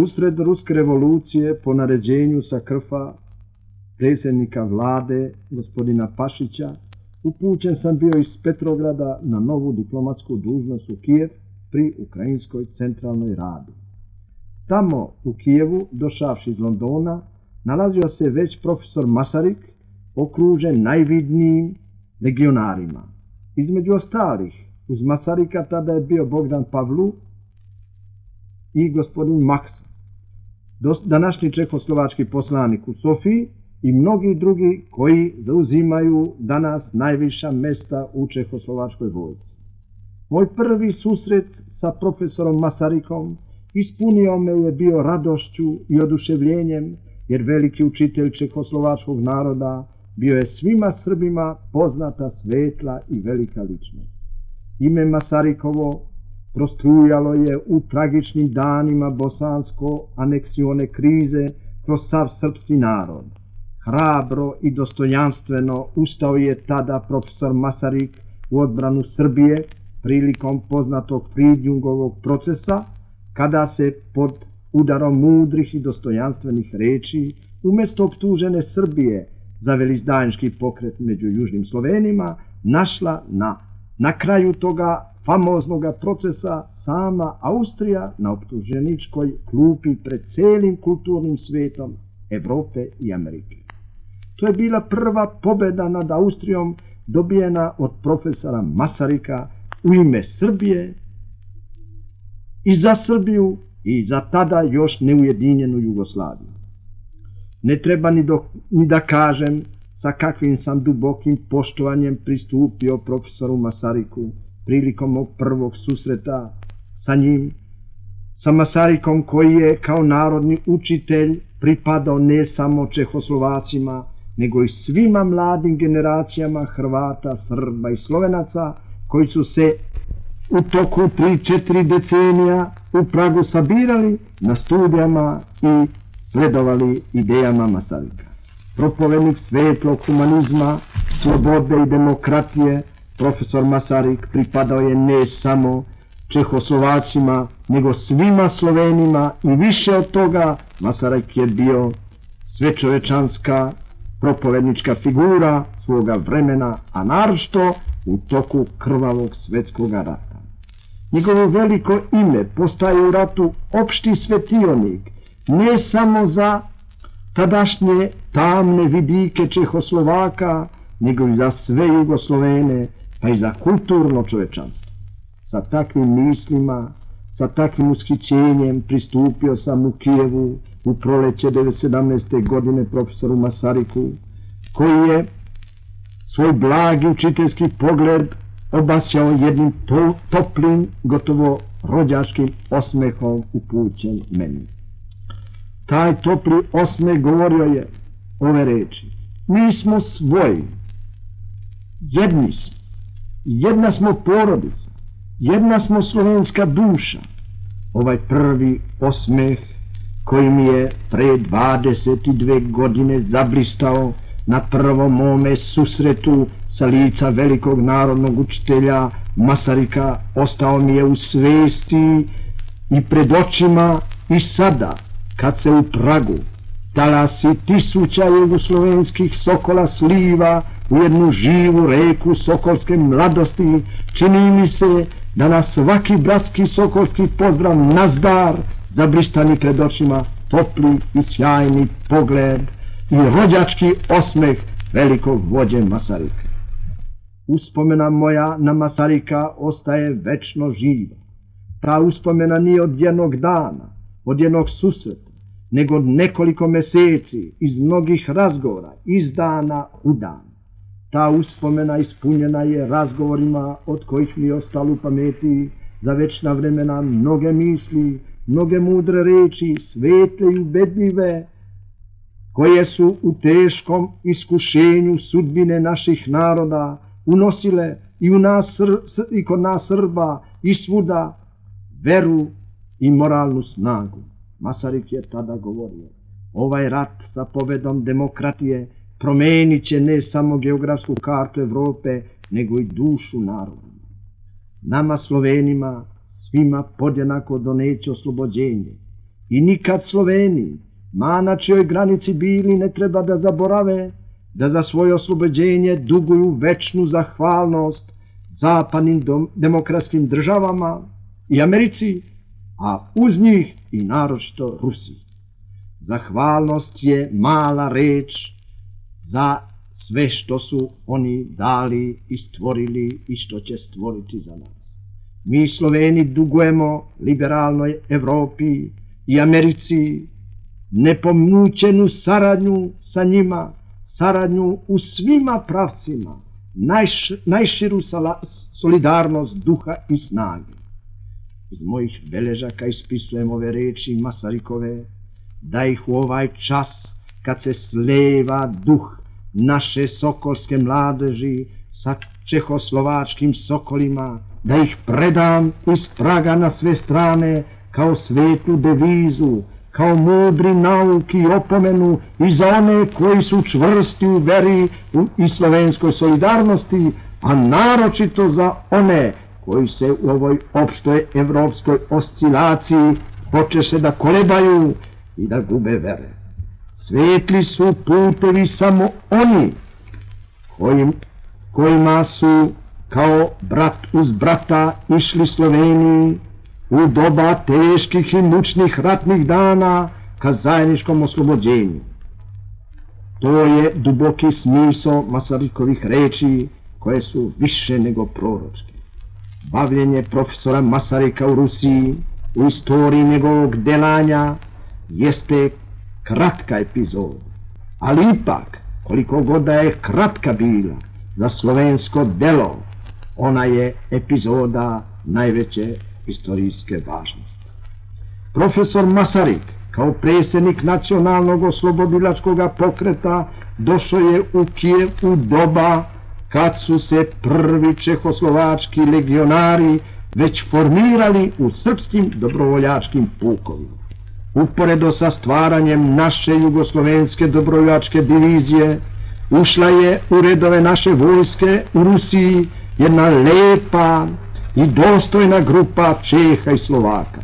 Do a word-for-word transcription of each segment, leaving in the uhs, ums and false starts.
Usred ruske revolucije po naređenju sa Krfa predsjednika vlade gospodina Pašića upućen sam bio iz Petrograda na novu diplomatsku dužnost u Kijev pri Ukrajinskoj centralnoj radi. Tamo u Kijevu, došavši iz Londona, nalazio se već profesor Masaryk, okružen najvidnijim legionarima. Između ostalih, uz Masaryka tada je bio Bogdan Pavlu i gospodin Maksa, današnji čehoslovački poslanik u Sofiji, i mnogi drugi koji zauzimaju danas najviša mesta u čehoslovačkoj vojsci. Moj prvi susret sa profesorom Masarykom ispunio me je bio radošću i oduševljenjem, jer veliki učitelj čehoslovačkog naroda bio je svima Srbima poznata, svetla i velika ličnost. Ime Masarykovo prostrujalo je u tragičnim danima bosansko-aneksione krize kroz sav srpski narod. Hrabro i dostojanstveno ustao je tada profesor Masaryk u odbranu Srbije prilikom poznatog Fridjungovog procesa, kada se pod udarom mudrih i dostojanstvenih reči umjesto optužene Srbije za velizdajnički pokret među južnim Slovenima našla na, na kraju toga famoznog procesa sama Austrija na optuženičkoj klupi pred celim kulturnim svetom Evrope i Amerike. To je bila prva pobjeda nad Austrijom dobijena od profesora Masaryka u ime Srbije i za Srbiju i za tada još neujedinjenu Jugoslaviju. Ne treba ni, do, ni da kažem sa kakvim sam dubokim poštovanjem pristupio profesoru Masaryku prilikom mog prvog susreta sa njim, sa Masarykom koji je kao narodni učitelj pripadao ne samo Čehoslovacima, nego i svima mladim generacijama Hrvata, Srba i Slovenaca koji su se u toku tri četiri decenija u Pragu sabirali na studijama i sledovali idejama Masaryka. Propovednik svetlog humanizma, slobode i demokratije, profesor Masaryk pripadao je ne samo Čehoslovacima, nego svima Slovenima i više od toga Masaryk je bio svečovečanska propovednička figura svoga vremena, a naročito u toku krvavog svjetskog rata. Njegovo veliko ime postaje u ratu opšti svetionik, ne samo za tadašnje tamne vidike Čehoslovaka, nego i za sve Jugoslovene, pa i za kulturno čovečanstvo. Sa takvim mislima, sa takvim ushićenjem pristupio sam u Kijevu u proleće devetsto sedamnaeste. godine profesoru Masaryku, koji je svoj blagi učiteljski pogled obasjao jednim to, toplim, gotovo rođačkim osmehom upućen meni. Taj topli osmeh govorio je ove reči: mi smo svoji, jedni smo, jedna smo porodica, jedna smo slovenska duša. Ovaj prvi osmeh koji mi je pre dvadeset dve godine zablistao na prvom mome susretu sa lica velikog narodnog učitelja Masaryka ostao mi je u svesti i pred očima i sada, kad se u Pragu talasi tisuća jugoslovenskih sokola sliva u jednu živu reku sokolske mladosti, čini mi se da na svaki bratski sokolski pozdrav nazdar zablistani pred očima topli i sjajni pogled i rođački osmeh velikog vođe Masaryka. Uspomena moja na Masaryka ostaje večno živa. Ta uspomena nije od jednog dana, od jednog susreta, nego od nekoliko meseci, iz mnogih razgovora, iz dana u dan. Ta uspomena ispunjena je razgovorima od kojih mi je ostalo u pameti za večna vremena mnoge misli, mnoge mudre reči, svetle i ubedljive, koje su u teškom iskušenju sudbine naših naroda unosile i, u nas, i kod nas Srba i svuda veru i moralnu snagu. Masaryk je tada govorio: ovaj rat sa pobedom demokratije promenit će ne samo geografsku kartu Evrope, nego i dušu naroda. Nama Slovenima svima podjednako doneće oslobođenje. I nikad Sloveni, ma na čijoj granici bili, ne treba da zaborave da za svoje oslobođenje duguju večnu zahvalnost zapadnim demokratskim državama i Americi, a uz njih i naročito Rusiji. Zahvalnost je mala reč za sve što su oni dali i stvorili i što će stvoriti za nas. Mi Sloveni dugujemo liberalnoj Evropi i Americi nepomućenu saradnju sa njima, saradnju u svima pravcima, najš, najširu solidarnost duha i snage. Iz mojih beležaka ispisujem ove reči Masarykove, da ih u ovaj čas, kad se sleva duh naše sokolske mladeži sa čehoslovačkim sokolima, da ih predam iz Praga na sve strane kao svetu devizu, kao mudri nauk i opomenu i za one koji su čvrsti u veri i slovenskoj solidarnosti, a naročito za one koji se u ovoj opštoj evropskoj oscilaciji počeše da kolebaju i da gube vere. Svetli su putevi samo oni kojim, kojima su kao brat uz brata išli Sloveniji u doba teških i mučnih ratnih dana ka zajedničkom oslobođenju. To je duboki smisao Masarykovih reči koje su više nego proročke. Bavljenje profesora Masaryka u Rusiji u istoriji njegovog delanja jeste kratka epizoda, ali ipak, koliko god da je kratka bila za slovensko delo, ona je epizoda najveće istorijske važnosti. Profesor Masaryk, kao predsjednik nacionalnog oslobodilačkog pokreta, došao je u Kijev u doba kad su se prvi čehoslovački legionari već formirali u srpskim dobrovoljačkim pukovima. Uporedo sa stvaranjem naše jugoslovenske dobrovoljačke divizije, ušla je u redove naše vojske u Rusiji jedna lepa i dostojna grupa Čeha i Slovaka.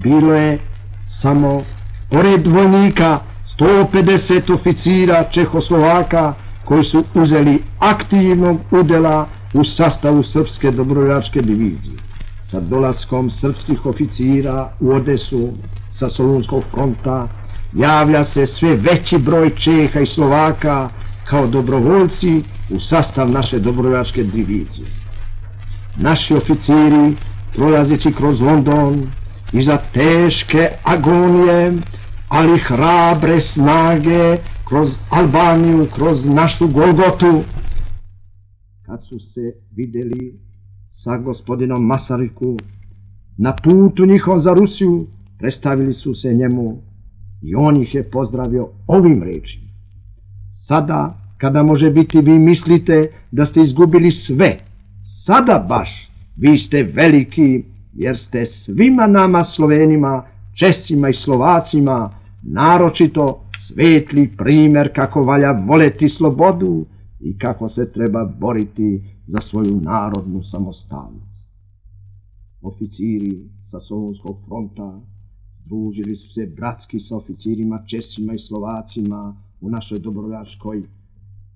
Bilo je samo, pored vojnika, sto pedeset oficira Čehoslovaka koji su uzeli aktivnog udela u sastavu srpske dobrovoljačke divizije. Sa dolaskom srpskih oficira u Odesu sa Solunskog fronta javlja se sve veći broj Čeha i Slovaka kao dobrovoljci u sastav naše dobrovoljačke divizije. Naši oficiri, prolazeći kroz London, iza teške agonije, ali hrabre snage, kroz Albaniju, kroz našu Golgotu, kad su se videli sa gospodinom Masaryku na putu njihov za Rusiju, predstavili su se njemu i on ih je pozdravio ovim rečima. Sada, kada može biti vi mislite da ste izgubili sve, sada baš vi ste veliki, jer ste svima nama Slovenima, Česima i Slovacima naročito svetli primer kako valja voleti slobodu i kako se treba boriti za svoju narodnu samostalnost. Oficiri sa Solunskog fronta družili su se bratski sa oficirima Česima i Slovacima u našoj dobrovoljačkoj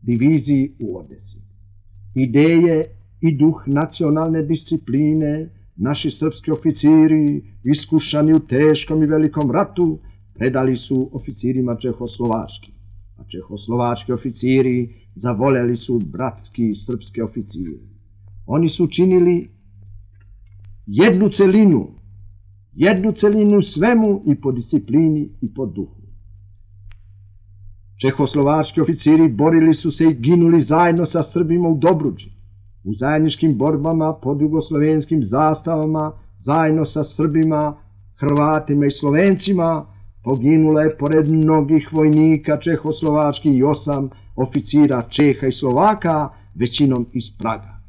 diviziji u Odesi. Ideje i duh nacionalne discipline naši srpski oficiri, iskušani u teškom i velikom ratu, predali su oficirima čehoslovački, a čehoslovački oficiri zavoljeli su bratski srpske oficire. Oni su činili jednu celinu, jednu celinu svemu i po disciplini i po duhu. Čehoslovački oficiri borili su se i ginuli zajedno sa Srbima u Dobruđi, u zajedničkim borbama pod jugoslovenskim zastavama, zajedno sa Srbima, Hrvatima i Slovencima, poginulo je pored mnogih vojnika čehoslovačkih i osam oficira Čeha i Slovaka, većinom iz Praga.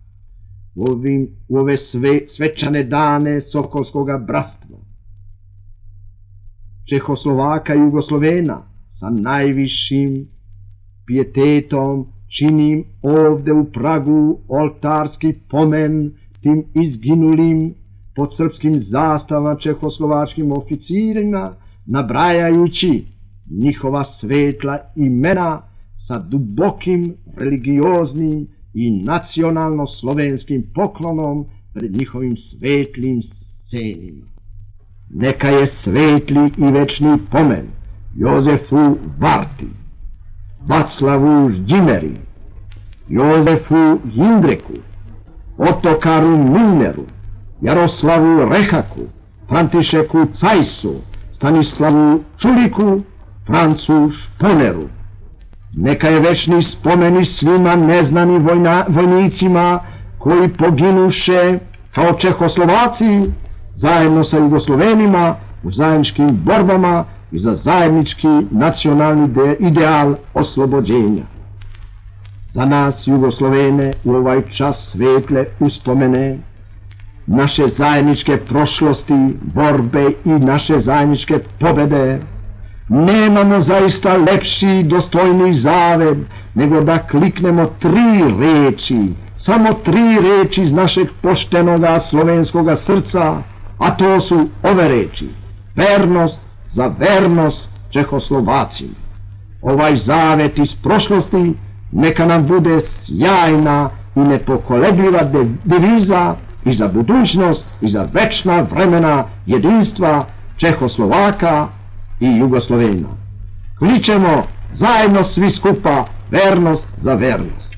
U, ovim, u ove sve, svečane dane Sokolskoga bratstva, Čehoslovaka i Jugoslovena, sa najvišim pijetetom činim ovde u Pragu oltarski pomen tim izginulim pod srpskim zastavama čehoslovačkim oficirima nabrajajući njihova svetla imena sa dubokim religioznim i nacionalno-slovenskim poklonom pred njihovim svetlim scenima. Neka je svetli i večni pomen Jozefu Varti, Vaclavu Ždimeri, Jozefu Jindreku, Otokaru Milneru, Jaroslavu Rehaku, Františeku Cajsu, Stanislavu Čuliku, Francu Šponeru. Neka je večni spomen i svima neznanim vojna, vojnicima koji poginuše kao Čehoslovaci zajedno sa Jugoslovenima u zajedničkim borbama i za zajednički nacionalni ideal oslobođenja. Za nas Jugoslovene u ovaj čas svetle uspomene naše zajedničke prošlosti, borbe i naše zajedničke pobede, nemamo zaista lepši i dostojniji zaved nego da kliknemo tri reči, samo tri reči iz našeg poštenoga slovenskoga srca, a to su ove reči: vernost za vernost Čehoslovacima. Ovaj zavet iz prošlosti neka nam bude sjajna i nepokolebljiva deviza i za budućnost i za večna vremena jedinstva Čehoslovaka i Jugoslovena. Kličemo zajedno svi skupa vernost za vernost.